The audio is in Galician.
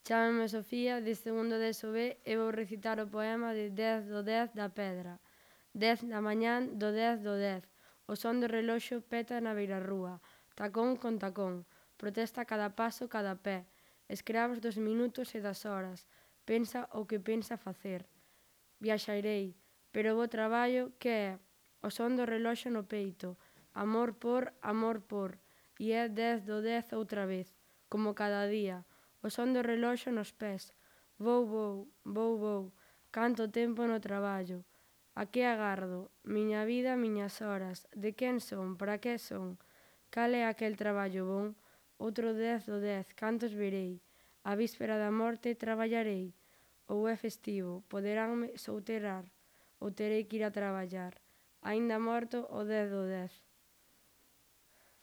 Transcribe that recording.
Chámame Sofía, diste segundo de ESO B e vou recitar o poema de 10 do 10 da Pedra. 10 da mañán do 10 do 10. O son do reloxo peta na beirarrúa, tacón con tacón, protesta cada paso, cada pé. Escravos dos minutos e das horas, pensa o que pensa facer. Viaxarei, pero bo traballo, que é? O son do reloxo no peito, amor por, e é 10 do 10 outra vez, como cada día. O son do reloxo nos pés, vou, canto tempo no traballo. A que agardo? Miña vida, miñas horas, de quen son, para que son? Cal é aquel traballo bon? Outro 10 do 10, cantos verei? A víspera da morte traballarei? Ou é festivo, poderanme soutrar, ou terei que ir a traballar? Aínda morto o 10 do 10.